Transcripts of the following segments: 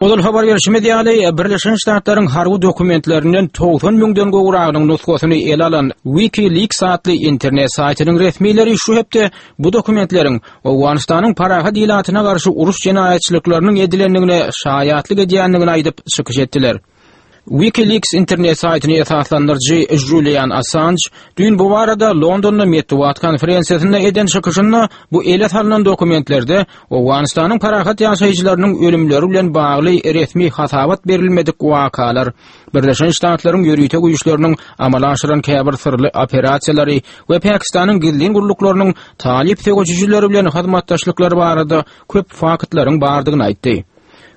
Ozal habar berşimiz ýaly, Birleşen Ştatlaryň harby dokumentlerinden 90 müňden gowragynyň nusgasyny ele alan WikiLeaks atly internet saýtynyň resmileri şu hepde bu dokumentleriň Owganystanyň parahat ilatyna garşy uruş jenaýatçylyklarynyň edilendigine şaýatlyk edýändigini aýdyp çykyş etdiler. WikiLeaks internet saýtyny esaslandyryjy Julian Assanj düýn bu barada Londonda metbugat konferensiýasynda eden çykyşynda bu ele salnan dokumentlerde Owganystanyň parahat ýaşaýjylarynyň ölümleri bilen bagly resmi hasabat berilmedik wakalar, Birleşen Ştatlaryň ýörite güýçleriniň amala aşyran käbir syrly operasiýalary we Pakistanyň gizlin gulluklarynyň talyp söweşijileri bilen hyzmatdaşlyklary barada köp faktlaryň bardygyny aýtdy.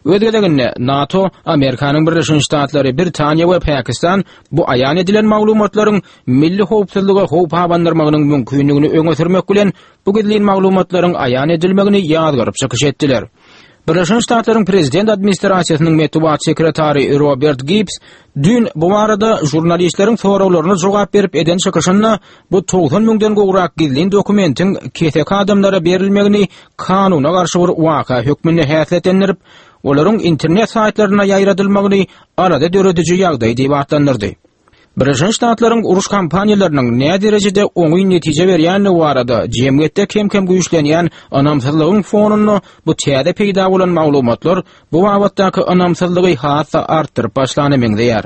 Öz gezeginde, NATO, Amerikanyň Birleşen Ştatlary, Britaniýa we Pakistan bu aýan edilen maglumatlaryň milli howpsuzlyga howp abandyrmagynyň mümkindigini öňe sürmek bilen, bu gizlin maglumatlaryň aýan edilmegini ýazgaryp çykyş etdiler. Birleşen Ştatlaryň Prezident administrasiýasynyň metbugat sekretary Robert Gibbs düýn bu barada žurnalistleriň soraglaryna jogap berip eden çykyşynda bu 90 müňden gowrak gizlin dokumentiň keseki adamlara berilmegini kanuna garşy bir waka hökmünde häsiýetlendirip, olaryň internet saýtlarynda ýaýradylmagyny alada dörediji ýagdaý diýip atlandyrdy. Birleşen Ştatlaryň uruş kampaniýalarynyň näderejede oňyn netije berýändigi barada jemgyýetde kem-kem güýçlenýän ynamsyzlygyň fonunda bu täze peýda bolan maglumatlar bu babatdaky ynamsyzlygy has-da artdyryp başlana meňzeýär.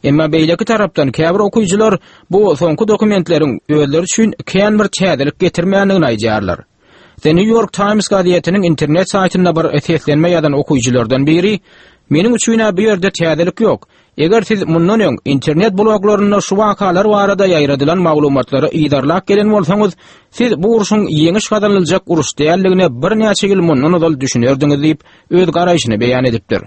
Emma beýleki tarapdan käbir okyjylar bu soňky dokumentleriň özleri üçin kän bir täzelik getirmändigini aýdýarlar. The New York Times gazetiniň internet saýtynda bir seslenme ýazan okyjylardan biri, Meniň üçin-ä bu ýerde täzelik ýok. Eger siz mundan öň internet bloglarynda şu wakalar barada ýaýradylan maglumatlary yzarlap gelen bolsaňyz, siz bu urşuň ýeňiş gazanyljak uruş däldigine birnäçe ýyl mundan ozal düşünerdiňiz diýip, öz garaýşyny beýan edipdir.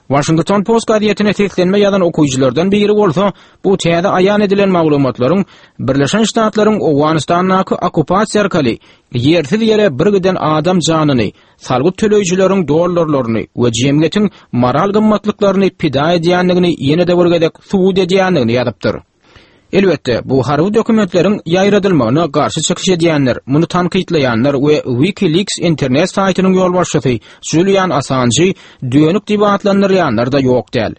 Washington Post gazetine seslenme ýazan okyjylardan biri bolsa, bu täze aýan edilen maglumatlaryň Birleşen Ştatlaryň Owganystandaky okkupasiýa arkaly ýersiz ýere bir giden adam janyny, salgyt töleýjileriň dollarlaryny we jemgyýetiň moral gymmatlyklaryny pida edýändigini ýene-de bir gezek subut edýändigini ýazypdyr. Elbetde, bu harby dokumentleriň ýaýradylmagyna garşy çykyş edýänler, muny tankytlaýanlar we WikiLeaks internet saýtynyň ýolbaşçysy Julian Assanjy dönük diýip atlandyrýanlar-da ýok däl.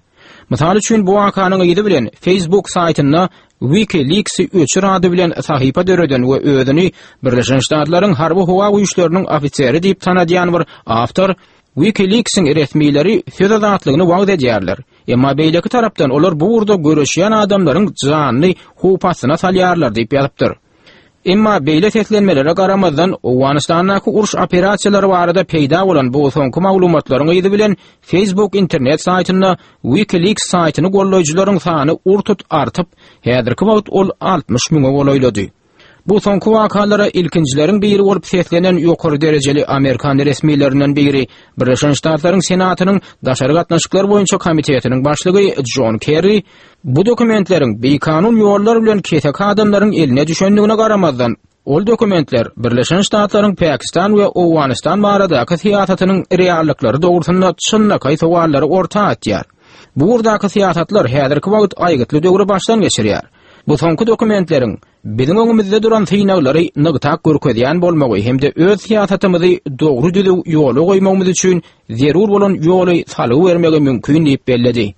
Mysal üçin, bu wakanyň yzy bilen Facebook saýtynda WikiLeaks-i öçür ady bilen sahypa döreden we özüni Birleşen Ştatlaryň harby-howa güýçleriniň ofiseri diýip tanadýan bir awtor WikiLeaks-iň resmileri söz azatlygyny wagyz edýärler. Emma beýleki tarapdan olar bu ugurda göreşýän adamlaryň janyny howp astyna salýarlar diýip ýazypdyr. Emma beýle seslenmelere garamazdan, Owganystandaky uruş operasiýalary barada peýda bolan bu soňky maglumatlaryň yzy bilen Facebook internet saýtynda WikiLeaks saýtyny goldaýjylaryň sany ur-tut artyp, häzirki wagt ol 60 müňe golaýlady. Bu soňky wakalara ilkinjileriň biri bolup seslenen ýokary derejeli amerikan resmilerinden biri Birleşen Ştatlaryň Senatynyň Daşary gatnaşyklar boýunça komitetiniň başlygy Jon Kerri bu dokumentleriň bikanun ýollar bilen keseki adamlaryň eline düşendigine garamazdan, ol dokumentler Birleşen Ştatlaryň Pakistan we Owganystan baradaky syýasatynyň reallyklary dogrusynda çynlakaý sowallary orta atýar. Bu ugurdaky syýasatlar häzirki wagt aýgytly döwri başdan geçirýär. Bu soňky dokumentleriň biziň öňümizde duran synaglary nygtap görkezýän bolmagy hem-de öz syýasatymyzy dogry-düzüw ýola goýmagymyz üçin zerur bolan ýoly salgy bermegi mümkin diýip belledi.